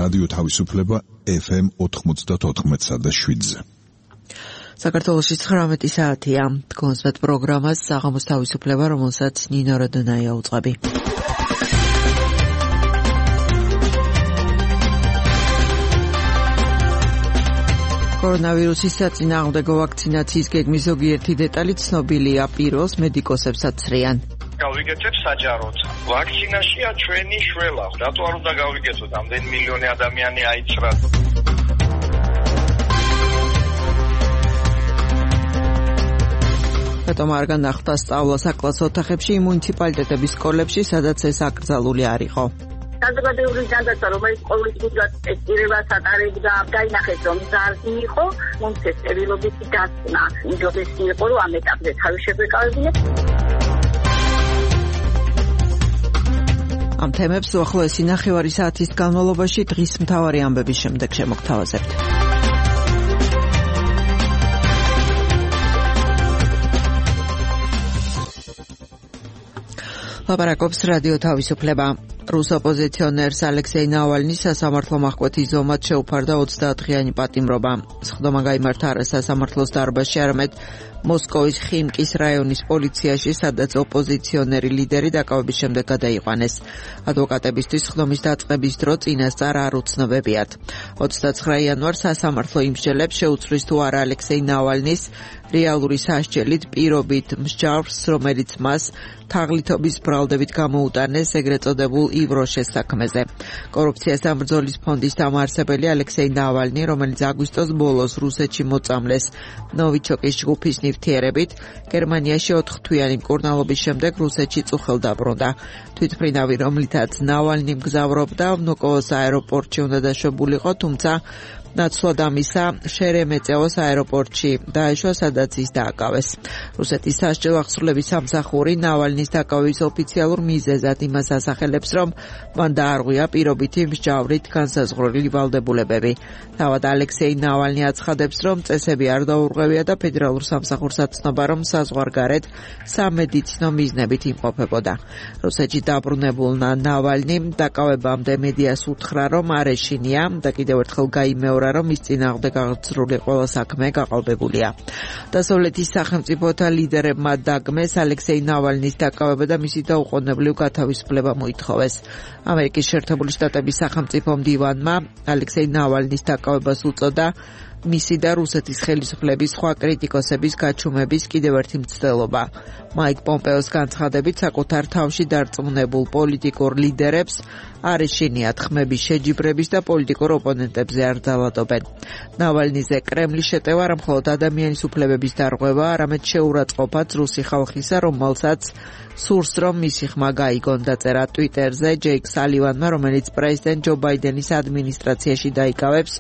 რადიო თავისუფლება FM 94.7-ზე. საქართველოში 19 საათია. კონსვეტ პროგრამას საღამოს თავისუფლება, რომელსაც ნინო როდონაია უწყები. კორონავირუსის საწინააღმდეგო ვაქცინაციის გეგმის ზოგიერთი დეტალი ცნობილია, პიროს მედიკოსებსაც ცრიან. გავიგეთებ საჯაროდ. ვაქცინაშია ჩვენი შველა. რატო არ უნდა გავიგეთოთ? ამდენი მილიონი ადამიანი აიცრა. რატომ არ განახდა სწავლა საკლასო ოთახებში მუნიციპალიტეტების სკოლებში, სადაც ეს აკრძალული არ იყო? საზოგადოებრივი ჯანდაცვა, რომელიც ყოვლის წუთად ტესტირებას ატარებდა, დაინახეს, რომ ზარდი იყო, მუნიციპალიტეტის წერილობითი დასკვნა. უდიდესი იყო, რომ ამ ეტაპზე თავი შეგვეკავებინეთ. ამ თემებს უახლოესი ნახევარი საათის განმავლობაში დღის მთავარი ამბების შემდეგ შემოგთავაზებთ. ლაპარაკობს რადიო თავისუფლება. რუს ოპოზიციონერს ალექსეი ნავალნის სასამართლო მახკვეთის ზომად შეუფარდა 30-დღიანი პატიმრობა. სხდომა გაიმართა არა სასამართლოს დარბაზში, არამედ მოსკოვის ხიმკის რაიონის პოლიციაში, სადაც ოპოზიციონერი ლიდერი დაკავების შემდეგ გადაიყვანეს. ადვოკატებისთვის სხდომის დაწყების დრო წინასწარ არ უცნობებიათ. 29 იანვარს სასამართლო იმსჯელებს შეუცვლის თუ არა ალექსეი ნავალნის რეალური სასჯელით პირობით მსჯავრს, რომელიც მას თაღლითობის ბრალდებით გამოუტანეს ეგრეთ წოდებულ ივროშეს საქმეზე. კორუფციას დამბრძოლის ფონდის დამაარსებელი ალექსეი ნავალნი, რომელიც აგვისტოს ბოლოს რუსეთში მოწამლეს ნოვიჩოკის ჯგუფის ნივთიერებით, გერმანიაში 4 თვიანი მკურნალობის შემდეგ რუსეთში წუხელ დაბრუნდა. თვითმფრინავი, რომლითაც ნავალნი მგზავრობდა, ვნუკოვოს აეროპორტში უნდა დაშვებულიყო, თუმცა ნაცვლად ამისა შერემეწეოს აეროპორტში დაეშვა, სადაც ის დააკავეს. რუსეთის სასჯელო აღსრულების სამსახური ნავალნის დაკავების ოფიციალურ მიზეზად იმას ასახელებს, რომ მან დაარღვია პირობითი მსჯავრით განსაზღვრული ვალდებულებები. თავად ალექსეი ნავალნი აცხადებს, რომ წესები არ დაურღვევია და ფედერალურ სამსახურს აცნობა, რომ საზღვარგარეთ სამედიცინო მიზნებით იმყოფებოდა. რუსეთში დაბრუნებულ ნავალნი დაკავებამდე მედიას უთხრა, რომ არ ეშინია და კიდევ ერთხელ გაიმეორა, რომ ის წინააღმდეგ აღძრული ყველა საქმე გაყალბებულია. დასავლეთის სახელმწიფოთა ლიდერებმა დაგმეს ალექსეი ნავალნის დაკავება და მისი დაუყოვნებლივ გათავისუფლება მოითხოვეს. ამერიკის შეერთებული შტატების სახელმწიფო მდივანმა ალექსეი ნავალნის დაკავებას უწოდა მისი და რუსეთის ხელისუფლების სხვა კრიტიკოსების გაჩუმების კიდევ ერთი მცდელობა. მაიკ პომპეოს განცხადებით, საკუთარ თავში დარწმუნებულ პოლიტიკურ ლიდერებს არ ეშინიათ ხმების შეჯიბრების და პოლიტიკურ ოპონენტებზე არ ძალადობენ. ნავალნიზე კრემლის შეტევა არა მხოლოდ ადამიანის უფლებების დარღვევა, არამედ შეურაცხყოფაც რუსი ხალხისა, რომელსაც სურს, რომ მისი ხმა გაიგონ, დაწერა ტვიტერზე ჯეიკ სალივანმა, რომელიც პრეზიდენტ ჯო ბაიდენის ადმინისტრაციაში დაიკავებს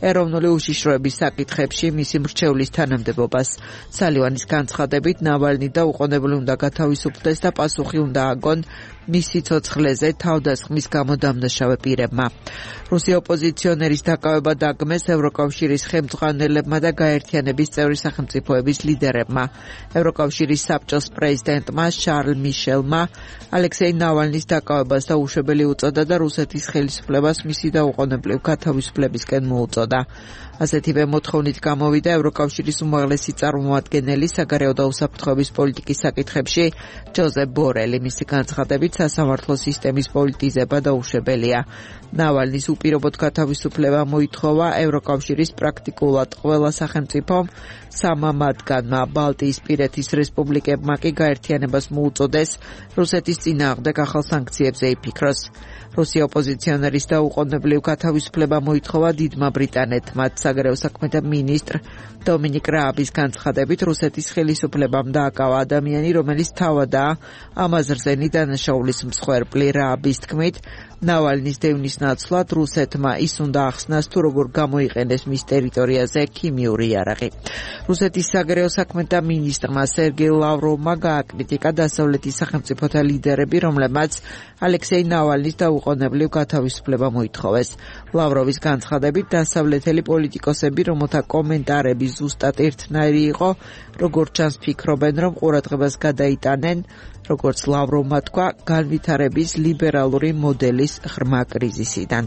ეროვნული უშიშროების საკითხებში მისი მრჩევლის თანამდებობას. სალივანის განცხადებით, ნავალნი დაუყოვნებლივ უნდა გათავისუფლდეს და პასუხი უნდა აგონ მისი ცოცხლეზე თავდასხმის გამო დამნაშავე პირებმა. რუსი ოპოზიციონერის დაკავება დაგმეს ევროკავშირის ხელმძღვანელებმა და გაერთიანების წევრი სახელმწიფოების ლიდერებმა. ევროკავშირის საბჭოს პრეზიდენტმა შარლ მიშელმა ალექსეი ნავალნის დაკავებას დაუშვებელი უწოდა და რუსეთის ხელისუფლებას მისი დაუყოვნებლივ გათავისუფლებისკენ მოუწოდა. ასეთივე მოთხოვნით გამოვიდა ევროკავშირის უმაღლესი წარმომადგენელი საგარეო და უსაფრთხოების პოლიტიკის საკითხებში ჯოზეფ ბორელი. მისი განცხადებით, სასამართლო სისტემის პოლიტიზება დაუშვებელია. ნავალნის უპირობოდ გათავისუფლება მოითხოვა ევროკავშირის პრაქტიკულად ყველა სახელმწიფომ, 3 მათგანმა ბალტიისპირეთის რესპუბლიკებმა კი გაერთიანებას მოუწოდეს რუსეთის წინააღმდეგ ახალ სანქციებზე იფიქროს. რუსი ოპოზიციონერის დაუყოვნებლივ გათავისუფლება მოითხოვა დიდმა ბრიტანეთმა. საგარეო საქმეთა მინისტრ დომინიკ რააბის განცხადებით, რუსეთის ხელისუფლებამ დააკავა ადამიანი, რომელიც თავადაა ამ აზრზენი დანაშაულის მსხვერპლი. რააბის თქმით, ნავალნის დევნის ნაცვლად რუსეთმა ის უნდა ახსნას, თუ როგორ გამოიყენეს მის ტერიტორიაზე ქიმიური იარაღი. რუსეთის საგარეო საქმეთა მინისტრმა სერგეი ლავროვმა გააკრიტიკა დასავლეთის სახელმწიფოთა ლიდერები, რომლებმაც ალექსეი ნავალნის დაუყოვნებლივ გათავისუფლება მოითხოვეს. ლავროვის განცხადებით, დასავლეთელი პოლიტიკოსები, რომელთა კომენტარები ზუსტად ერთნაირი იყო, როგორც ჩანს ფიქრობენ, რომ ყურადღებას გადაიტანენ, როგორც ლავროვმა თქვა, განვითარების ლიბერალური მოდელის ღრმა კრიზისიდან.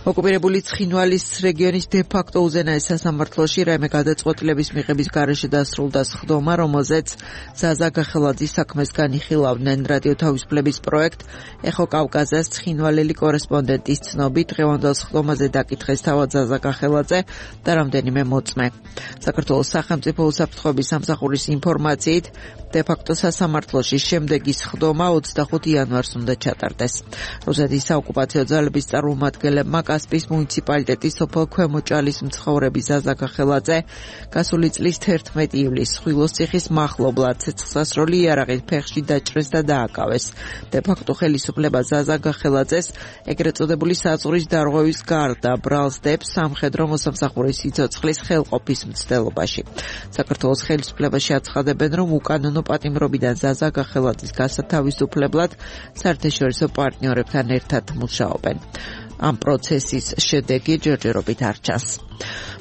ოკუპირებული ცხინვალის რეგიონის დე-ფაქტო უზენაეს სასამართლოში რაიმე გადაწყვეტილების მიღების გარეშე დასრულდა სხდომა, რომელზეც ზაზა გახელაძის საქმეს განიხილავდნენ. რადიო თავისუფლების პროექტ ეხო კავკაზას ცხინვალელი კორესპონდენტის ცნობით დღევანდელ სხდომაზე დაკითხეს თავად ზაზა გახელაძე და რამდენიმე მოწმე. საქართველოს სახელმწიფო უსაფრთხოების სამსახურის ინფორმაციით დე-ფაქტო სასამართლოში შემდეგი სხდომა 25 იანვარს უნდა ჩატარდეს. რუსეთის საოკუპაციო ძალების წარმომადგენლებმა კასპიის მუნიციპალიტეტის სოფელ ქვემოჭალის მცხოვრები ზაზა გახელაძე გასული წლის 11 ივლისს ხვილოსციხის მახლობლად ცეცხლსასროლი იარაღით ფეხში დაჭრეს და დააკავეს. დე-ფაქტო ხელისუფლება ზაზა გახელაძეს ეგრეთ წოდებული საზღვრის დარღვევის გარდა ბრალს დებს სამხედრო მოსამსახურის სიცოცხლის ხელყოფის მცდელობაში. საქართველოს ხელისუფლებაში აცხადებენ, რომ უკანონო პატიმრობიდან ზაზა გახელაძის გასათავისუფლებლად საერთაშორისო პარტნიორებთან ერთად მუშაობენ. ამ პროცესის შედეგი ჯერჯერობით არ ჩანს.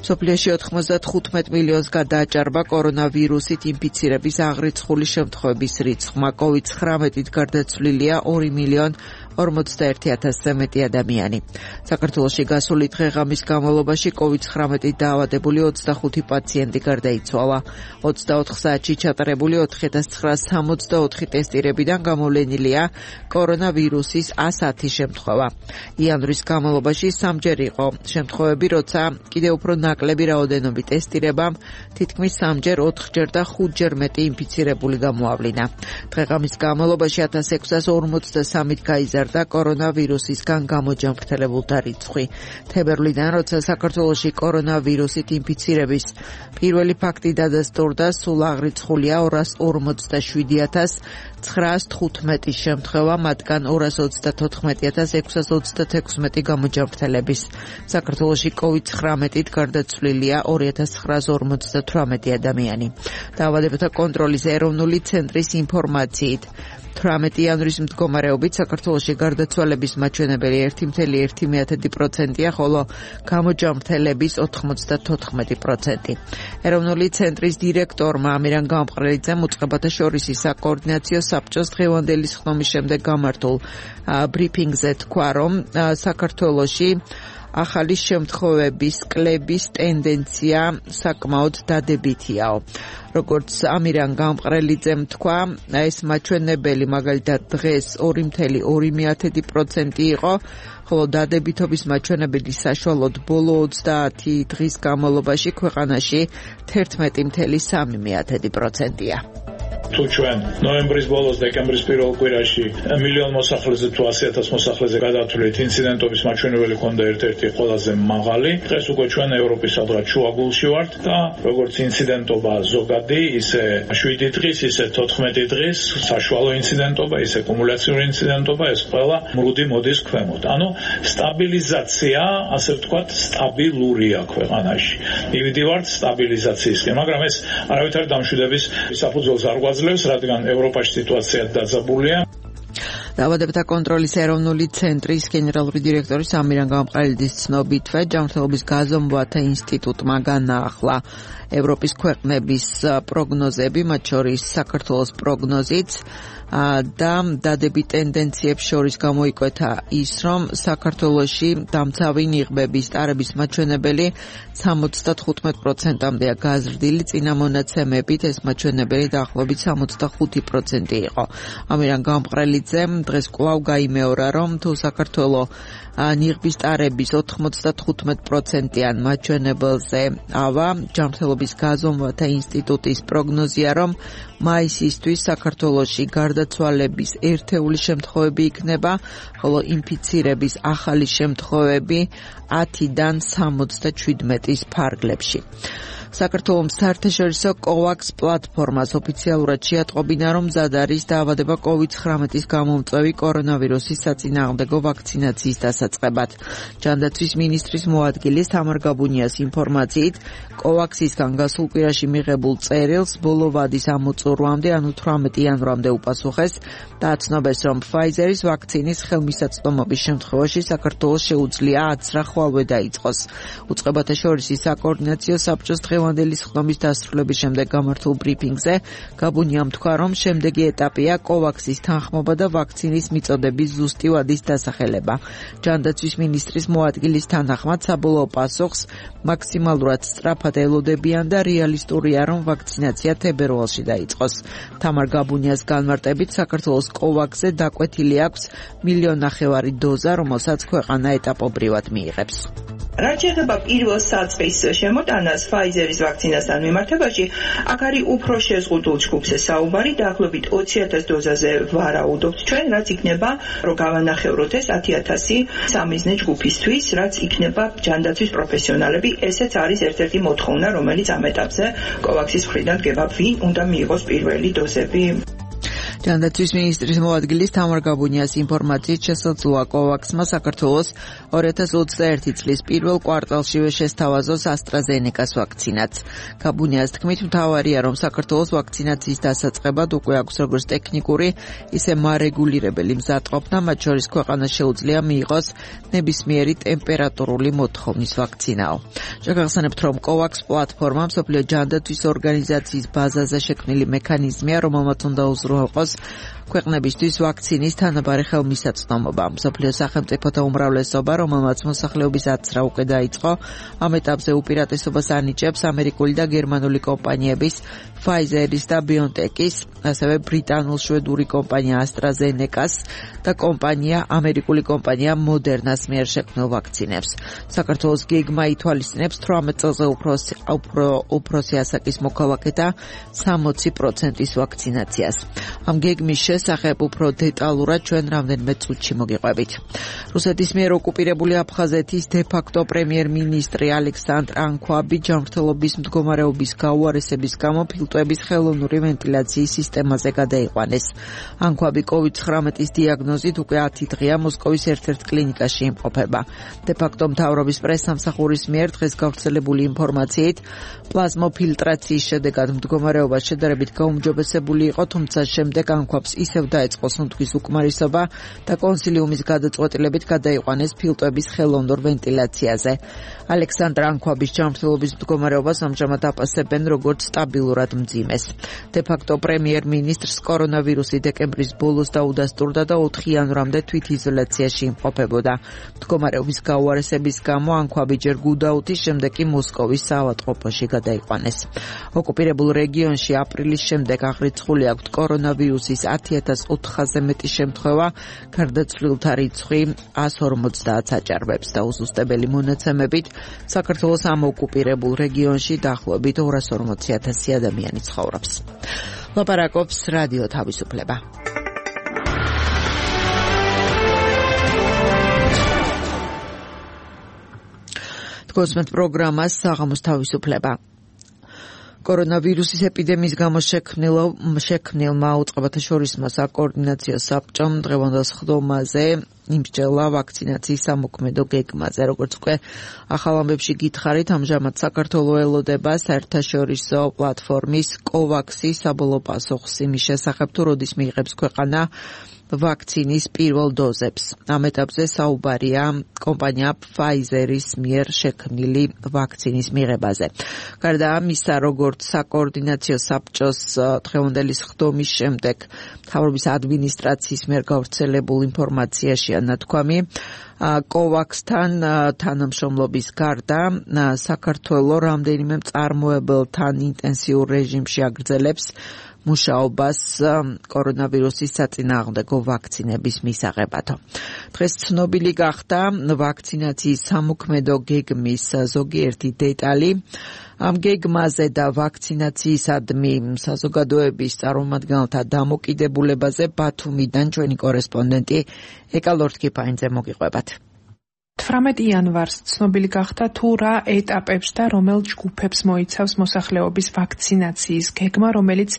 მსოფლიოში 95 მილიონს გადააჭარბა კორონავირუსით ინფიცირების აღრიცხული შემთხვევების რიცხვმა. COVID-19-ით გარდაცვლილია 2.041.000-ზე მეტი ადამიანი. საქართველოში გასული დღე-ღამის განმავლობაში COVID-19-ით დაავადებული 25 პაციენტი გარდაიცვალა. 24 საათში ჩატარებული 4964 ტესტირებიდან გამოვლენილია კორონავირუსის 110 შემთხვევა. იანვრის განმავლობაში სამჯერ იყო შემთხვევები, როცა კიდევ უფრო ნაკლები რაოდენობით ტესტირებამ თითქმის 3ჯერ, 4ჯერ და 5ჯერ მეტი ინფიცირებული გამოავლინა. დღე-ღამის განმავლობაში 1653-ით გაიზარდა კორონავირუსისგან გამოჯანმრთელებულთა რიცხვი. თებერვლიდან, როცა საქართველოში კორონავირუსით ინფიცირების პირველი ფაქტი დადასტურდა, სულ აღრიცხულია 247.915 შემთხვევა, მათგან 234.626 გამოჯანმრთელების. საქართველოში COVID-19-ით გარდაცვლილია 2958 ადამიანი. დაავადებათა კონტროლის ეროვნული ცენტრის ინფორმაციით 18 იანვრის მდგომარეობით საქართველოში გარდაცვალების მაჩვენებელი 1.1%-ია, ხოლო გამოჯანმრთელების 94%. ეროვნული ცენტრის დირექტორმა ამირან გამყრელიძემ უწყებათა შორის საკოორდინაციო საბჭოს დღევანდელი სხდომის შემდეგ გამართულ ბრიფინგზე თქვა, რომ საქართველოში ახალი შემთხვევების კლების ტენდენცია საკმაოდ დადებითიაო. როგორც ამირან გამყრელიძემ თქვა, ეს მაჩვენებელი მაგალითად დღეს 2.2% იყო, ხოლო დადებითობის მაჩვენებელი საშუალოდ ბოლო 30 დღის განმავლობაში ქვეყანაში 11.3%-ია. თუ ჩვენ ნოემბრის ბოლოს დეკემბრის პირველ კვირაში მილიონ მოსახლეზე თუ 100,000 მოსახლეზე გადავთვლით ინციდენტობის მაჩვენებელი ქონდა ერთ-ერთი ყველაზე მაღალი. დღეს უკვე ჩვენ ევროპის სადღაც შუაგულში ვართ და როგორც ინციდენტობა ზოგადი, ისე 7 დღის, ისე 14 დღის საშუალო ინციდენტობა, ისე კუმულაციური ინციდენტობა, ეს ყველა მრუდი მოდის ქვემოთ. ანუ სტაბილიზაცია, ასე ვთქვათ, სტაბილურია ქვეყანაში. მივიდივართ სტაბილიზაციისკენ, მაგრამ ეს არავითარი დამშვიდების საფუძველს არ გვაძლევს, რადგან ევროპაში სიტუაცია დაძაბულია. დაავადებათა კონტროლის ეროვნული ცენტრის გენერალური დირექტორის ამირან გამყრელიძის ცნობითვე, ჯანმრთელობის გაზომვათა ინსტიტუტმა განაახლა ევროპის ქვეყნების პროგნოზები, მათ შორის საქართველოს პროგნოზიც და დადებით ტენდენციებს შორის გამოიკვეთა ის, რომ საქართველოში დამცავი ნიღბების ტარების მაჩვენებელი 75%-მდეა გაზრდილი, წინა მონაცემებით ეს მაჩვენებელი დაახლოებით 65% იყო. ამირან გამყრელიძემ დღეს კვლავ გაიმეორა, რომ თუ საქართველო ნიღბის ტარების 95%-იან მაჩვენებელზე ავა, ჯანმრთელობის გაზომვათა ინსტიტუტის პროგნოზია, რომ მაისისთვის საქართველოში გარდაცვალების ერთეული შემთხვევები იქნება, ხოლო ინფიცირების ახალი შემთხვევები 10-დან 77-ის ფარგლებში. საქართველოს საერთაშორისო COVAX პლატფორმას ოფიციალურად შეატყობინა, რომ მზად არის დაავადება COVID-19-ის გამომწვევი კორონავირუსის საწინააღმდეგო ვაქცინაციის დასაწყებად. ჯანდაცვის მინისტრის მოადგილე თამარ გაბუნიას ინფორმაციით, COVAX-ისგან გასულ კვირაში მიღებულ წერილს ბოლო ვადის ამოწურვამდე, ანუ 18 იანვრამდე უპასუხეს და აცნობეს, რომ Pfizer-ის ვაქცინის ხელმისაწვდომობის შემთხვევაში საქართველოს შეუძლია 10 ხვალვე დაიწყოს. უწყებათა შორის საკოორდინაციო საბჭოს დღევანდელი სხდომის დასრულების შემდეგ გამართულ ბრიფინგზე გაბუნიამ თქვა, რომ შემდეგი ეტაპია კოვაქსის თანხმობა და ვაქცინის მიწოდების ზუსტი ვადის დასახელება. ჯანდაცვის მინისტრის მოადგილის თანახმად საბოლოო პასუხს მაქსიმალურად სწრაფად ელოდებიან და რეალისტურია, რომ ვაქცინაცია თებერვალში დაიწყოს. თამარ გაბუნიას განმარტებით საქართველოს კოვაქსზე დაკვეთილი აქვს 1,5 მილიონი დოზა, რომელსაც ქვეყანა ეტაპობრივად მიიღებს. რაც შეეხება პირველ საწყის შემოტანას Pfizer-ის ვაქცინასთან მიმართებაში, აქ არის უფრო შეზღუდულ ჯგუფზე საუბარი, დაახლოებით 20,000 დოზაზე ვარაუდობთ ჩვენ, რაც იქნება, რომ გავანახევროთ ეს 10,000 სამიზნე ჯგუფისთვის, რაც იქნება ჯანდაცვის პროფესიონალები, ესეც არის ერთ-ერთი მოთხოვნა, რომელიც ამ ეტაპზე კოვაქსის მხრიდან დგება, ვინ უნდა მიიღოს პირველი დოზები. ჯანდაცვის მინისტრის მოადგილის თამარ გაბუნიას ინფორმაციით შესაძლოა კოვაქსმა საქართველოს 2021 წლის პირველ კვარტალშივე შესთავაზოს AstraZeneca-ს ვაქცინაც. გაბუნიას თქმით, მთავარია, რომ საქართველოს ვაქცინაციის დასაწყებად უკვე აქვს როგორც ტექნიკური, ისე მარეგულირებელი მზადყოფნა, მათ შორის ქვეყანას შეუძლია მიიღოს ნებისმიერი ტემპერატურული მოთხოვნის ვაქცინაო. შეგახსენებთ, რომ კოვაქს პლატფორმა მსოფლიო ჯანდაცვის ორგანიზაციის ბაზაზე შექმნილი მექანიზმია, რომელმაც უნდა უზრუნველყოს ქვეყნებისთვის ვაქცინის თანაბარი ხელმისაწვდომობა. მსოფლიო სახელმწიფოთა უმრავლესობა, რომელმაც მოსახლეობის აცრა უკვე დაიწყო, ამ ეტაპზე უპირატესობას ანიჭებს ამერიკული და გერმანული კომპანიების Pfizer-ის და BioNTech-ის, ასევე ბრიტანულ-შვედური კომპანია AstraZeneca-ს და ამერიკული კომპანია Moderna-ს მიერ შექმნილ ვაქცინებს. საქართველოს გეგმა ითვალისწინებს 18 წელზე უფროსი ასაკის მოქალაქეთა 60%-ის ვაქცინაციას. ამ გეგმის შესახებ უფრო დეტალურად ჩვენ რამდენიმე წუთში მოგიყვებით. რუსეთის მიერ ოკუპირებული აფხაზეთის დე-ფაქტო პრემიერ-მინისტრი ალექსანდრ ანქვაბი ჯანმრთელობის მდგომარეობის გაუარესების გამო ფილტვების ხელოვნური ვენტილაციის სისტემაზე გადაიყვანეს. ანქვაბი COVID-19-ის დიაგნოზით უკვე 10 დღეა მოსკოვის ერთ-ერთ კლინიკაში იმყოფება. დე-ფაქტო მთავრობის პრესსამსახურის მიერ დღეს გავრცელებული ინფორმაციით პლაზმოფილტრაციის შედეგად მდგომარეობა შედარებით გაუმჯობესებული იყო, თუმცა შემდეგ ანქვაბს ისევ დაეწყო სუნთქვის უკმარისობა და კონსილიუმის გადაწყვეტილებით გადაიყვანეს ფილტვების ხელოვნურ ვენტილაციაზე. ალექსანდრ ანქვაბის ჯანმრთელობის მდგომარეობას ამჟამად აფასებენ როგორც სტაბილურად მძიმეს. დე-ფაქტო პრემიერ-მინისტრს კორონავირუსი დეკემბრის ბოლოს დაუდასტურდა და 4 იანვრამდე თვითიზოლაციაში იმყოფებოდა. მდგომარეობის გაუარესების გამო ანქვაბი ჯერ გუდაუთის, შემდეგ კი მოსკოვის საავადმყოფოში გადაიყვანეს. ოკუპირებულ რეგიონში აპრილის შემდეგ აღრიცხული აქვთ კორონავირუსის 10,400-ზე მეტი შემთხვევა, გარდაცვლილთა რიცხვი 150-ს აჭარბებს და უზუსტებელი მონაცემებით საქართველოს ამ ოკუპირებულ რეგიონში დაახლოებით 240,000 ადამიანი ცხოვრობს. ლაპარაკობს რადიო თავისუფლება. გოსმეთ პროგრამას საღამოს თავისუფლება. კორონავირუსის ეპიდემიის გამო შექმნილმა უწყებათაშორისმა საკოორდინაციო საბჭომ დღევანდელ სხდომაზე იმსჯელა ვაქცინაციის სამოქმედო გეგმაზე. როგორც უკვე ახალ ამბებში გითხარით, ამჟამად საქართველოს ელოდება საერთაშორისო პლატფორმის კოვაქსის საბოლოო პასუხს იმის შესახებ, თუ როდის მიიღებს ქვეყანა ვაქცინის პირველ დოზებს. ამ ეტაპზე საუბარია კომპანია Pfizer-ის მიერ შექმნილი ვაქცინის მიღებაზე. გარდა ამისა, როგორც საკოორდინაციო საბჭოს დღევანდელი სხდომის შემდეგ მთავრობის ადმინისტრაციის მიერ გავრცელებულ ინფორმაციაშია ნათქვამი, კოვაქსთან თანამშრომლობის გარდა საქართველოს რამდენიმე მწარმოებელთან ინტენსიურ რეჟიმში აგრძელებს მუშაობას კორონავირუსის საწინააღმდეგო ვაქცინების მისაღებად. დღეს ცნობილი გახდა ვაქცინაციის სამოქმედო გეგმის ზოგიერთი დეტალი. ამ გეგმაზე და ვაქცინაციისადმი საზოგადოების წარმომადგენელთა დამოკიდებულებაზე ბათუმიდან ჩვენი კორესპონდენტი ეკა ლორთქიფაინძე მოგიყვებათ. 18 იანვარს ცნობილი გახდა თუ რა ეტაპებს და რომელ ჯგუფებს მოიცავს მოსახლეობის ვაქცინაციის გეგმა, რომელიც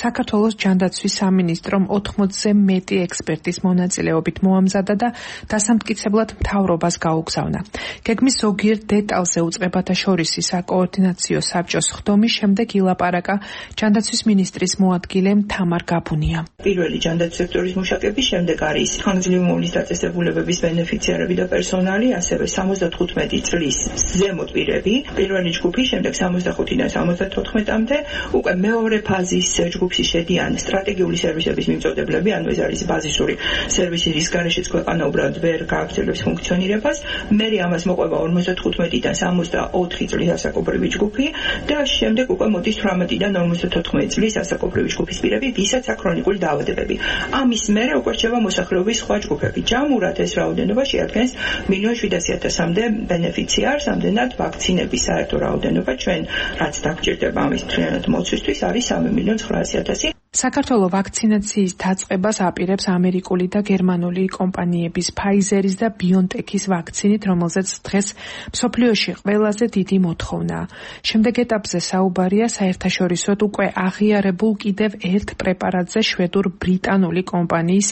საქართველოს ჯანდაცვის სამინისტრომ 80-ზე მეტი ექსპერტის მონაწილეობით მოამზადა და დასამტკიცებლად მთავრობას გაუგზავნა. გეგმის ზოგიერთ დეტალზე უწყებათაშორისი საკოორდინაციო საბჭოს სხდომის შემდეგ ილაპარაკა ჯანდაცვის მინისტრის მოადგილე თამარ გაბუნია. პირველი ჯანდაცვის სექტორის მუშაკების შემდეგ არის ხანგრძლივი მოვლის დაწესებულებების ბენეფიციარები და პერსონალი. საუბარი ასევე 75 წლის ზემოთ პირები, პირველი ჯგუფი, შემდეგ 65-დან 74-მდე, უკვე მეორე ფაზის ჯგუფში შედიან სტრატეგიული სერვისების მიმწოდებლები, ანუ ეს არის ბაზისური სერვისი, რის გარეშეც ქვეყანა უბრალოდ ვერ გააგრძელებს ფუნქციონირებას. მერე ამას მოყვება 55-დან 64 წლის ასაკობრივი ჯგუფი და შემდეგ უკვე მოდის 18-დან 54 წლის ასაკობრივი ჯგუფის პირები, ვისაც აქვს ქრონიკული დაავადებები. ამის მერე უკვე რჩება მოსახლეობის სხვა ჯგუფები. ჯამურად ეს რაოდენობა შეადგენს 1,700,000-მდე ბენეფიციარს, ამდენად ვაქცინების საერთო რაოდენობა ჩვენ რაც დაგჭირდება ამის მთლიანად მოცვისთვის არის 3,900,000. საქართველოს ვაქცინაციის დაწყებას აპირებს ამერიკული და გერმანული კომპანიების Pfizer-ის და BioNTech-ის ვაქცინით, რომელზეც დღეს მსოფლიოში ყველაზე დიდი მოთხოვნაა. შემდეგ ეტაპზე საუბარია საერთაშორისოდ უკვე აღიარებულ კიდევ ერთ პრეპარატზე, შვედურ-ბრიტანული კომპანიის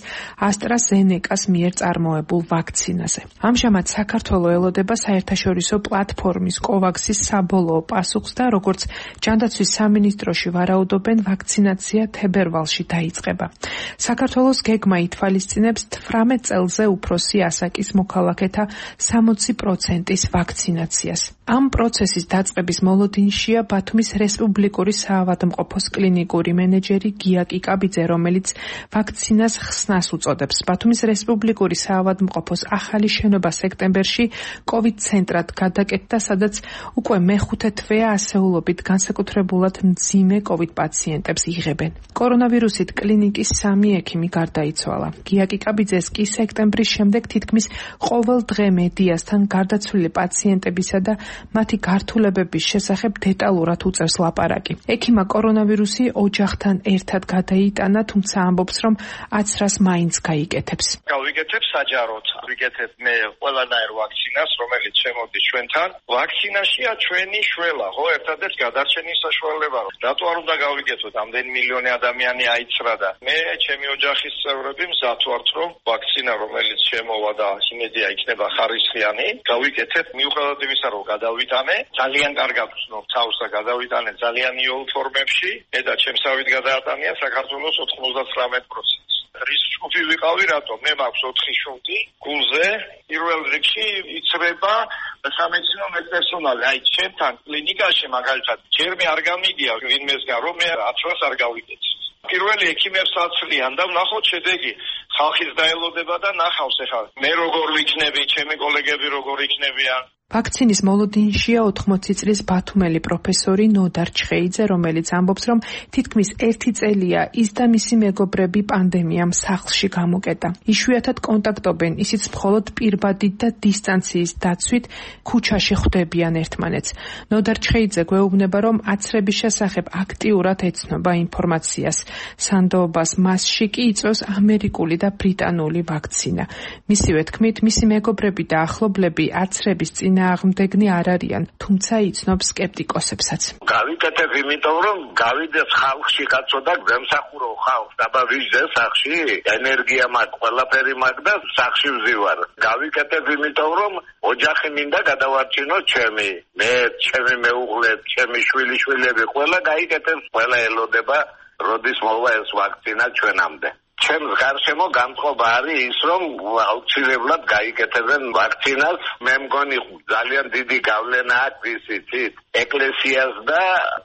AstraZeneca-ს მიერ წარმოებულ ვაქცინაზე. ამჟამად საქართველოს ელოდება საერთაშორისო პლატფორმის COVAX-ის საბოლოო პასუხს და როგორც ჯანდაცვის სამინისტროში ვარაუდობენ, ვაქცინაცია თებერვალში დაიწყება. საქართველოს გეგმა ითვალისწინებს 18 წელზე უფროსი ასაკის მოქალაქეთა 60%-ის ვაქცინაციას. ამ პროცესის დაწყების მოლოდინშია ბათუმის რესპუბლიკური საავადმყოფოს კლინიკური მენეჯერი გია კიკაბიძე, რომელიც ვაქცინას ხსნას უწოდებს. ბათუმის რესპუბლიკური საავადმყოფოს ახალი შენობა სექტემბერში COVID ცენტრად გადაკეთდა, სადაც უკვე მეხუთე თვეა ასეულობით განსაკუთრებულად მძიმე COVID პაციენტებს იღებენ. კორონავირუსით კლინიკის 3 ექიმი გარდაიცვალა. გია კიკაბიძეს კი სექტემბრის შემდეგ თითქმის ყოველ დღე მედიასთან გარდაცვლილი პაციენტებისა და მათი გართულებების შესახებ დეტალურად უწევს ლაპარაკი. ექიმა კორონავირუსი ოჯახთან ერთად გადაიტანა, თუმცა ამბობს, რომ აცრას მაინც გაიკეთებს. გავიკეთებ საჯაროდ, ვიკეთებ მე ყველანაირ ვაქცინას, რომელიც შემოდის ჩვენთან. ვაქცინაშია ჩვენი შველა, ხო, ერთადერთ გადარჩენის საშუალება. რატო არ უნდა გავიკეთოთ? ამდენი მილიონი ადამიანი აიცრა და მე ჩემი ოჯახის წევრები მზად ვართ, რომ ვაქცინა, რომელიც შემოვა და იმედია იქნება ხარისხიანი, გავიკეთებ. მიუხედავად იმისა, რომ გადავიტანე, ძალიან კარგად ვცნობ თავს და გადავიტანე ძალიან იოლ ფორმებში, მე და ჩემსავით გადაატანია საქართველოს 99%. რის ჯგუფი ვიყავი, რატომ? მე მაქვს 4 შუნტი გულზე, პირველ რიგში იცრება სამედიცინო პერსონალი. აი, ჩემთან კლინიკაში მაგალითად, ჯერ მე არ გამიგია ვინმესგან, რომ მე აცრას არ გავიკეთე. პირველი ექიმებს აცლიან და ნახოთ შედეგი. ხალხის დაელოდება და ნახავს ახლა. მე როგორ ვიქნები, ჩემი კოლეგები როგორ იქნებიან. ვაქცინის მოლოდინშია 80 წლის ბათუმელი პროფესორი ნოდარ ჩხეიძე, რომელიც ამბობს, რომ თითქმის 1 წელია ის და მისი მეგობრები პანდემიამ სახლში გამოკეტა. იშვიათად კონტაქტობენ, ისიც მხოლოდ პირბადით და დისტანციის დაცვით ქუჩაში ხვდებიან ერთმანეთს. ნოდარ ჩხეიძე გვეუბნება, რომ აცრების შესახებ აქტიურად ეცნობა ინფორმაციას. სანდოობას მასში კი იწვევს ამერიკული და ბრიტანული ვაქცინა. მისივე თქმით, მისი მეგობრები და ახლობლები აცრების წინააღმდეგნი არ არიან, თუმცა იცნობს სკეპტიკოსებსაც. გავიკეთებ იმიტომ, რომ გავიდეს ხალხში კაცო და გემსახურო ხალხს, დაბა ვიჟდე სახში, ენერგია მაქვს, ყველაფერი მაქვს და სახში ვზივარ. გავიკეთებ იმიტომ, რომ ოჯახი მინდა გადავარჩინო ჩემი, მე, ჩემი მეუღლე, ჩემი შვილიშვილები, ყველა გაიკეთებს, ყველა ელოდება, როდის მოვა ეს ვაქცინა ჩვენამდე. ჩემს გარშემო განწყობა არის ის, რომ აუცილებლად გაიკეთებენ ვაქცინას. მე მგონი ძალიან დიდი გავლენა აქვს ისიც ეკლესიას და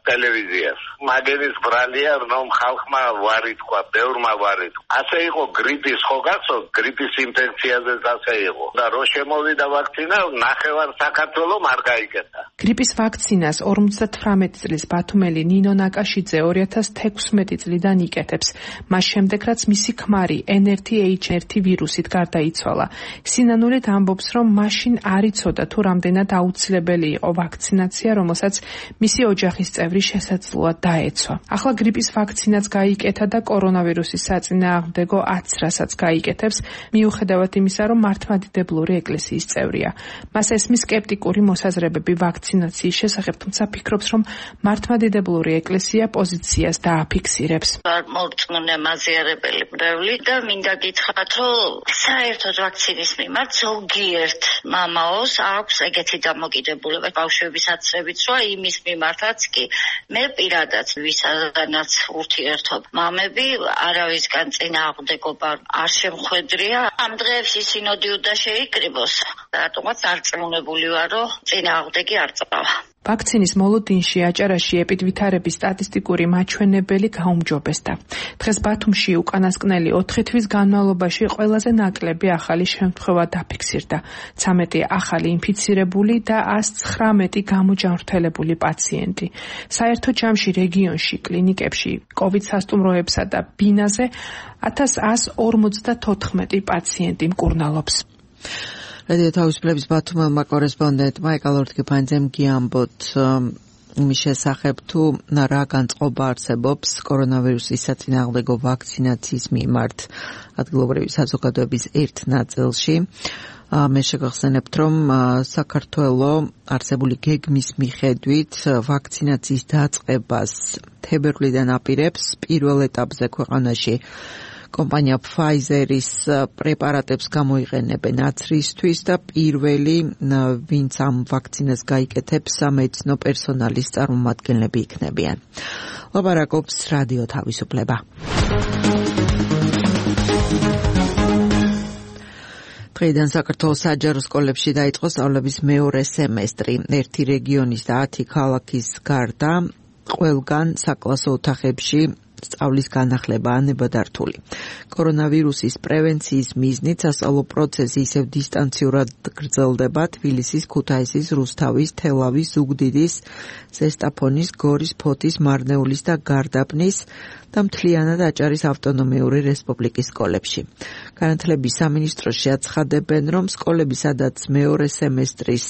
ტელევიზიას. მაგერის ბრალია, რომ ხალხმა ვარი თქვა, ბევრმა ვარი თქვა. ასე იყო გრიპის, ხო გასწორ, გრიპის ინფექციაზეც ასე იყო. და რო შემოვიდა ვაქცინა, ნახევარ საქართველოს არ გაიკეთა. გრიპის ვაქცინას 58 წლის ბათუმელი ნინო ნაკაშიძე 2016 წლიდან იკეთებს. მას შემდეგ რაც მისი ქმარი NRTH1 ვირუსით გარდაიცვალა. სინანულით ამბობს, რომ მაშინ არ იცოდა თუ რამდენად აუცილებელი იყო ვაქცინაცია, რომელსაც მისი ოჯახის წევრი შესაძლოა დაეცვა. ახლა გრიპის ვაქცინაც გაიკეთა და კორონავირუსის საწინააღმდეგო აცრასაც გაიკეთებს, მიუხედავად იმისა, რომ მართლმადიდებლური ეკლესიის წევრია. მას ესმის სკეპტიკური მოსაზრებები ვაქცინაციის შესახებ, თუმცა ფიქრობს, რომ მართლმადიდებლური ეკლესია პოზიციას დააფიქსირებს. არ მორწმუნე მაზიარებელი და მინდა გითხრათ, რომ საერთოდ ვაქცინის მიმართ ზოგიერთ მამაოს აქვს ეგეთი დამოკიდებულება ბავშვების აცრებით, რომ იმის მიმართაც კი მე პირადად ვისაც ურთიერთობ მამები არავისგან წინააღმდეგობა არ შემხვედრია. ამ დღეებში სინოდი უნდა შეიკრიბოს და რატომაც არწმუნებული ვარ, რომ წინააღმდეგი არ წავა. ვაქცინის მოლოდინში აჭარაში ეპიდვითარების სტატისტიკური მაჩვენებელი გაუმჯობესდა. დღეს ბათუმში უკანასკნელი 4 თვის განმავლობაში ყველაზე ნაკლები ახალი შემთხვევა დაფიქსირდა. 13 ახალი ინფიცირებული და 119 გამოჯანმრთელებული პაციენტი. საერთო ჯამში რეგიონში კლინიკებში COVID სასტუმროებსა და ბინაზე 1154 პაციენტი მკურნალობს. რადიო თავისუფლების ბათუმელმა კორესპონდენტმა ეკალორთკიფანძემ გიამბოთ იმის შესახებ თუ რა განწყობა არსებობს კორონავირუსის საწინააღმდეგო ვაქცინაციის მიმართ ადგილობრივი საზოგადოების ერთ ნაწილში. მე შეგახსენებთ, რომ საქართველოს არსებული გეგმის მიხედვით ვაქცინაციის დაწყებას თებერვლიდან აპირებს პირველ ეტაპზე ქვეყანაში კომპანია Pfizer-ის პრეპარატებს გამოიყენებენ აცრისთვის და პირველი ვინც ამ ვაქცინას გაიკეთებს სამედიცინო პერსონალის წარმომადგენლები იქნებიან. ლაპარაკობს რადიო თავისუფლება. დღეიდან საქართველოს საჯარო სკოლებში დაიწყო სწავლების მეორე სემესტრი. ერთი რეგიონის და 10 ქალაქის გარდა ყველგან საკლასო ოთახებში სწავლის განახლებაა ნებადართული. კორონავირუსის პრევენციის მიზნით სასწავლო პროცესი ისევ დისტანციურად გრძელდება თბილისის, ქუთაისის, რუსთავის, თელავის, ზუგდიდის, ზესტაფონის, გორის, ფოთის, მარნეულის და გარდაბნის და მთლიანად აჭარის ავტონომიური რესპუბლიკის სკოლებში. განათლების სამინისტროში აცხადებენ, რომ სკოლები, სადაც მეორე სემესტრის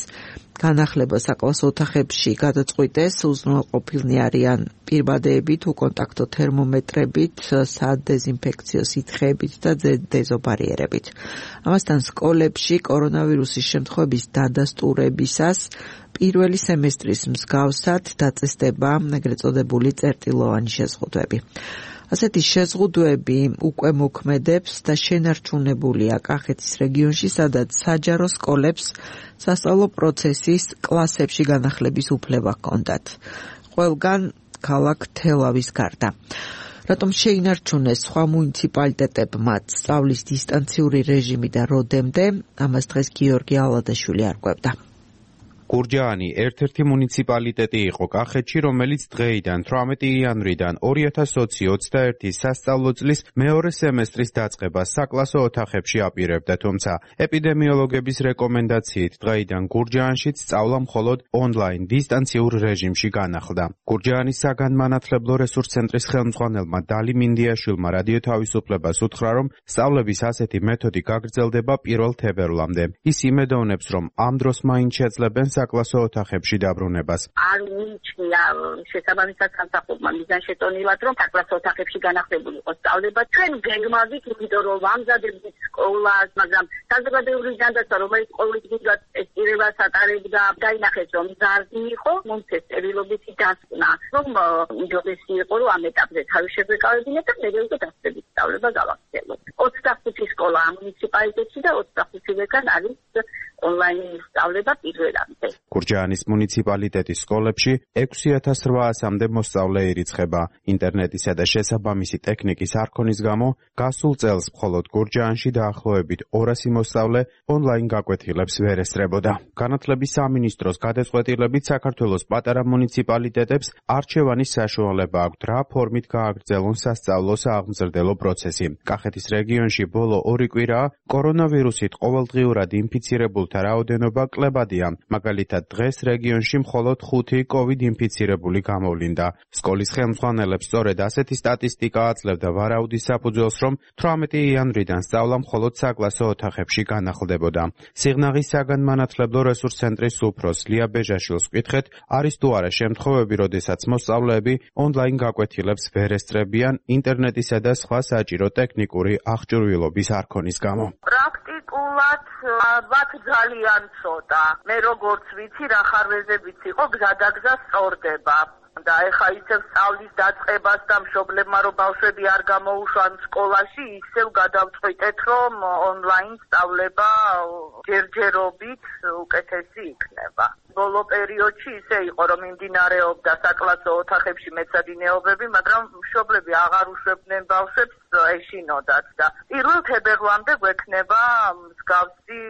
განახლება საკლასო ოთახებში გადაწყვიტეს, უზრუნველყოფილნი არიან პირბადეებით, უკონტაქტო თერმომეტრებით, სადეზინფექციო სითხეებით და დეზობარიერებით. ამასთან სკოლებში კორონავირუსის შემთხვევების დადასტურებისას პირველი სემესტრის მსგავსად დაწესდება ეგრეთ წოდებული წერტილოვანი შეზღუდვები. ასეთი შეზღუდვები უკვე მოქმედებს და შენარჩუნებულია კახეთის რეგიონში, სადაც საჯარო სკოლებს სასწავლო პროცესის კლასებში განახლების უფლება ჰქონდათ. ყველგან ქალაქ თელავის გარდა. რატომ შეინარჩუნეს სხვა მუნიციპალიტეტებმაც სწავლის დისტანციური რეჟიმი და როდემდე? ამას დღეს გიორგი ალადაშვილი არკვევდა. გურჯაანი ერთ-ერთი მუნიციპალიტეტი იყო კახეთში, რომელიც დღეიდან 18 იანვრიდან 2021 სასწავლო წლის მეორე სემესტრის დაწყებას საკლასო ოთახებში აპირებდა, თუმცა ეპიდემიოლოგების რეკომენდაციით დღეიდან გურჯაანშიც სწავლა მხოლოდ ონლაინ დისტანციურ რეჟიმში განახლდა. გურჯაანის საგანმანათლებლო რესურს ცენტრის ხელმძღვანელმა დალი მინდიაშვილმა რადიო თავისუფლებას უთხრა, რომ სწავლების ასეთი მეთოდი გაგრძელდება 1 თებერვლამდე. ის იმედოვნებს, რომ ამ დროს მაინც შეძლებენ საკლასო ოთახებში დაბრუნებას. არ მიიჩნია შესაბამისად სამსახურმა მიზანშეტონილად, რომ საკლასო ოთახებში განახლებული იყოს სწავლება. ჩვენ გეგმავით, იმიტომ რომ ვამზადებთ სკოლას, მაგრამ საზოგადოებრივი ჯანდაცვა, რომელიც ყოველდღიურად ტესტირებას ატარებდა, დაინახეს, რომ მზარდი იყო, მომცეს წერილობითი დასკვნა, რომ უჯობესი იყო, რომ ამ ეტაპზე თავი შეგვეკავებინა და მე უკვე დასწრებით სწავლება გავაგრძელოთ. 25 სკოლა ამ მუნიციპალიტეტში და 25-ვეგან არის ონლაინ სწავლება პირველამდე. გურჯაანის მუნიციპალიტეტის სკოლებში 6800-მდე მოსწავლე ირიცხება. ინტერნეტისა და შესაბამისი ტექნიკის არქონის გამო გასულ წელს მხოლოდ გურჯაანში დაახლოებით 200 მოსწავლე ონლაინ გაკვეთილებს ვერ ესწრებოდა. განათლების სამინისტროს გადაწყვეტილებით საქართველოს პატარა მუნიციპალიტეტებს არჩევანის საშუალება აქვთ, რა ფორმით გააგრძელონ სასწავლო სააღმზრდელო პროცესი. კახეთის რეგიონში ბოლო 2 კვირაა კორონავირუსით ყოველდღიურად ინფიცირებულთა რაოდენობა კლებადია. მაგალითად, დღეს რეგიონში მხოლოდ 5 COVID ინფიცირებული გამოვლინდა. სკოლის ხელმძღვანელებს სწორედ ასეთი სტატისტიკა აძლევდა ვარაუდის საფუძველს, რომ 18 იანვრიდან სწავლა მხოლოდ საკლასო ოთახებში განახლდებოდა. სიღნაღის საგანმანათლებლო რესურს ცენტრის უფროს ლია ბეჟაშვილს ვკითხეთ, არის თუ არა შემთხვევები, როდესაც მოსწავლეები ონლაინ გაკვეთილებს ვერ ესწრებიან ინტერნეტისა და სხვა საჭირო ტექნიკური აღჭურვილობის არქონის გამო. პრაქტიკულად ალბათ ძალიან ცოტა. მე როგორც ვიცი, რა ხარვეზებიც იყო, გზადაგზა სწორდება. და ეხა ისევ სწავლის დაწყებას და მშობლებმა რომ ბავშვები არ გამოუშვან სკოლაში, ისევ გადავწყვიტეთ, რომ ონლაინ სწავლება ჯერჯერობით უკეთესი იქნება. ბოლო პერიოდში ისე იყო, რომ მიმდინარეობდა საკლასო ოთახებში მეცადინეობები, მაგრამ მშობლები აღარ უშვებდნენ ბავშვებს, ეშინოდათ და 1 თებერვლამდე გვექნება მსგავსი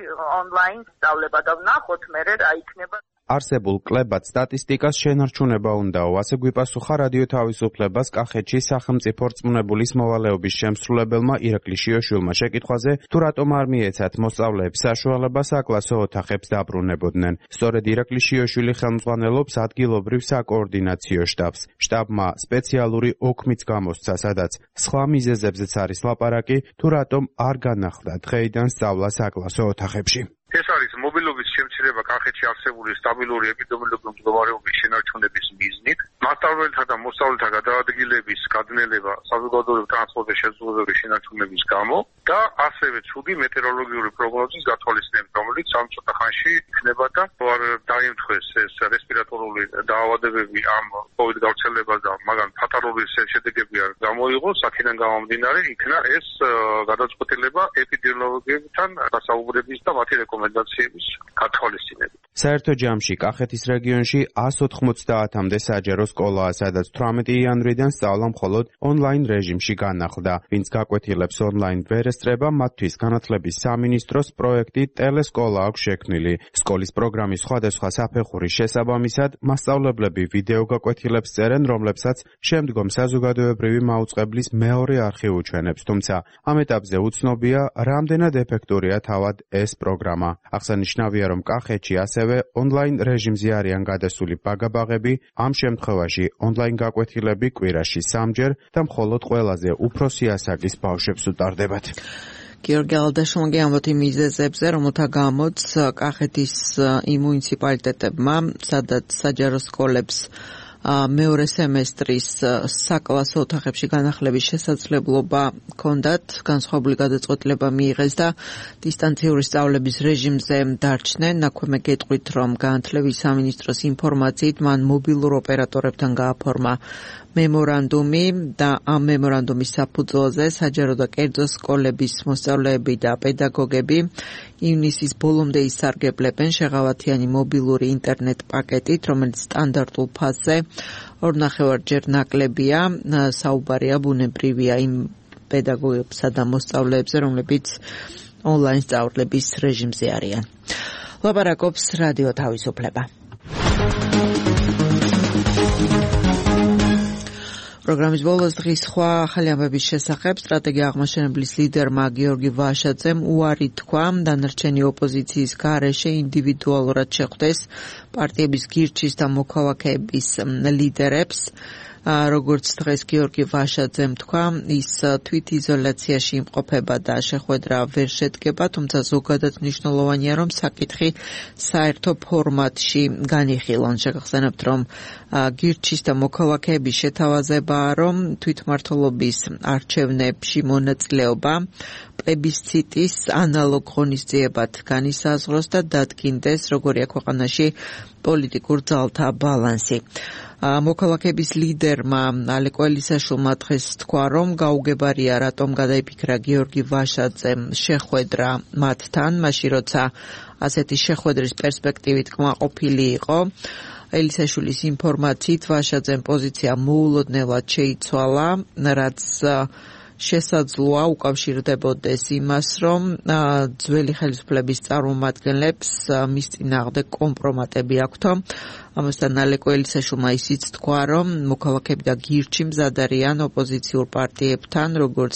ონლაინ სწავლება და ვნახოთ მერე რა იქნება. არსებულ კლებად სტატისტიკას შენარჩუნება უნდაო, ასე გვიპასუხა რადიო თავისუფლებას კახეთში სახელმწიფო რწმუნებულის მოვალეობის შემსრულებელმა ირაკლი შიოშვილმა შეკითხვაზე, თუ რატომ არ მიეცათ მოსწავლეებს საშუალება საკლასო ოთახებს დაბრუნებოდნენ. სწორედ ირაკლი შიოშვილი ხელმძღვანელობს ადგილობრივ საკოორდინაციო შტაბს. შტაბმა სპეციალური ოქმიც გამოსცა, სადაც სხვა მიზეზებზეც არის ლაპარაკი, თუ რატომ არ განახლდა დღეიდან სწავლა საკლასო ოთახებში. ეს არის მობილობის შემცირება კახეთში არსებული სტაბილური ეპიდემიოლოგიური მდგომარეობის შენარჩუნების მიზნით, მასწავლებელთა და მოსწავლეთა გადაადგილების გადნელება საზოგადოებრივ ტრანსპორტის შესაძლებლობის შენარჩუნების გამო და ასევე ცუდი მეტეოროლოგიური პროგნოზის გათვალისწინებით, რომელიც ამ ცოტა ხანში იქნება და არ დაემთხვეს ეს რესპირატორული დაავადებები ამ COVID გავრცელებას და მაგან ფატალური შედეგები არ გამოიღოს, აქედან გამომდინარე იქნა ეს გადაწყვეტილება ეპიდემიოლოგებთან დასაუბრების და მათი რეკომენდაციების გათვალისწინებით. საერთო ჯამში კახეთის რეგიონში 190-მდე საჯარო სკოლაა, სადაც 18 იანვრიდან სწავლა მხოლოდ ონლაინ რეჟიმში განახლდა. ვინც გაკვეთილებს ონლაინ ვერ ესწრება, მათთვის განათლების სამინისტროს პროექტი ტელესკოლა აქვს შექმნილი. სკოლის პროგრამის სხვადასხვა საფეხურის შესაბამისად, მასწავლებლები ვიდეო გაკვეთილებს წერენ, რომლებსაც შემდგომ საზოგადოებრივი მაუწყებლის მეორე არხი უჩვენებს, თუმცა ამ ეტაპზე უცნობია, რამდენად ეფექტურია თავად ეს პროგრამა. აღსანიშნავია, რომ კახეთში ასევე ონლაინ რეჟიმზე არიან გადასული ბაგაბაღები, ამ შემთხვევაში ონლაინ გაკვეთილები კვირაში 3-ჯერ და მხოლოდ ყველაზე უფროსი ასაკის ბავშვებს უტარდებათ. გიორგი ალდაშონგი ამბობთ იმ მიზეზებზე, რომელთა გამოც კახეთის იმ მუნიციპალიტეტებმა, სადაც საჯარო სკოლებს მეორე სემესტრის საკლასო ოთახებში განახლების შესაძლებლობა ჰქონდათ, განსხვავებული გადაწყვეტილება მიიღეს და დისტანციური სწავლების რეჟიმზე დარჩნენ. აქვე გეტყვით, რომ განათლების სამინისტროს ინფორმაციით მან მობილურ ოპერატორებთან გააფორმა მემორანდუმი და ამ მემორანდუმის საფუძველზე საჯარო და კერძო სკოლების მოსწავლეები და პედაგოგები ივნისის ბოლომდე ისარგებლებენ შეღავათიანი მობილური ინტერნეტ პაკეტით, რომელიც სტანდარტულ ფაზზე 2.5-ჯერ ნაკლებია. საუბარია ბუნებრივია იმ პედაგოგებსა და მოსწავლეებზე, რომლებიც ონლაინ სწავლების რეჟიმზე არიან. ლაპარაკობს რადიო თავისუფლება. პროგრამის ბოლოს დღის სხვა ახალი ამბების შესახებ სტრატეგია აღმაშენებლის ლიდერმა გიორგი ვაშაძემ უარი თქვა დანარჩენი ოპოზიციის გარეშე ინდივიდუალურად შეხვდეს პარტიების გირჩის და მოქალაქეების ლიდერებს. როგორც დღეს გიორგი ვაშაძემ თქვა, ის თვითიზოლაციაში იმყოფება და შეხვედრა ვერ შედგება, თუმცა ზოგადად მნიშვნელოვანია, რომ საკითხი საერთო ფორმატში განიხილონ. შეგახსენებთ, რომ გირჩის და მოქალაქეების შეთავაზებაა, რომ თვითმმართველობის არჩევნებში მონაწილეობა პლებისციტის ანალოგ ღონისძიებად განისაზღვროს და დადგინდეს, როგორია ქვეყანაში პოლიტიკურ ძალთა ბალანსი. მოქალაქეების ლიდერმა ალეკო ელისაშვილმა დღეს თქვა, რომ გაუგებარია რატომ გადაიფიქრა გიორგი ვაშაძემ შეხვედრა მათთან, მაშინ როცა ასეთი შეხვედრის პერსპექტივით კმაყოფილი იყო. ელისაშვილის ინფორმაციით ვაშაძემ პოზიცია მოულოდნელად შეიცვალა, რაც შესაძლოა უკავშირდებოდეს იმას, რომ ძველი ხელისუფლების წარმომადგენლებს მის წინააღმდეგ კომპრომატები აქვთო. ამასთან ალეკო ელისაშვილმა ისიც თქვა, რომ მოქალაქეები და გირჩი მზად არიან ოპოზიციურ პარტიებთან, როგორც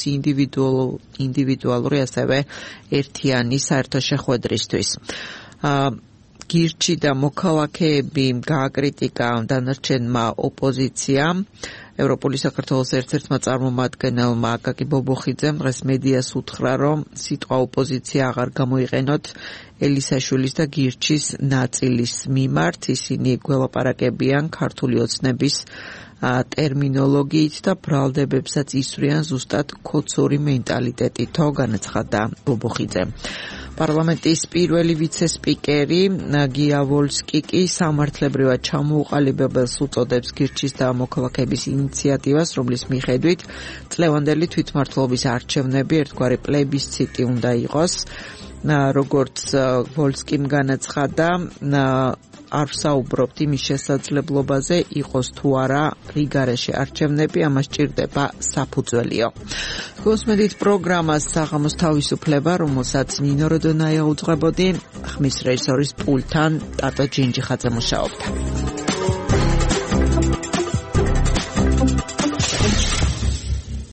ინდივიდუალური, ასევე ერთიანი საერთო შეხვედრისთვის. გირჩი და მოქალაქეები გააკრიტიკა დანარჩენმა ოპოზიციამ. ევროპული საქართველოს ერთ-ერთმა წარმომადგენელმა აკაკი ბობოხიძემ დღეს მედიას უთხრა, რომ სიტყვა ოპოზიცია აღარ გამოიყენოთ ელისაშვილის და გირჩის ნაწილის მიმართ. ისინი გველაპარაკებიან ქართული ოცნების ტერმინოლოგიით და ბრალდებებსაც ისვრიან ზუსტად ქოცური მენტალიტეტითო, განაცხადა ბობოხიძე. პარლამენტის პირველი ვიცე-სპიკერი გია ვოლსკი კი სამართლებრივად ჩამოუყალიბებელს უწოდებს გირჩის და მოქალაქეების ინიციატივას, რომლის მიხედვით წლევანდელი თვითმმართველობის არჩევნები ერთგვარი პლებისციტი უნდა იყოს. როგორც ვოლსკიმ განაცხადა, არ ვსაუბრობთ იმის შესაძლებლობაზე, იყოს თუ არა რიგარეში არჩევნები, ამას ჭირდება საფუძველიო. გოსმედით პროგრამას საღამოს თავისუფლება, რომელსაც ნინო როდონაია უძღვებოდი, ხმის რეჟისორის პულტთან ტატო ჯინჯიხაძე მუშაობდა.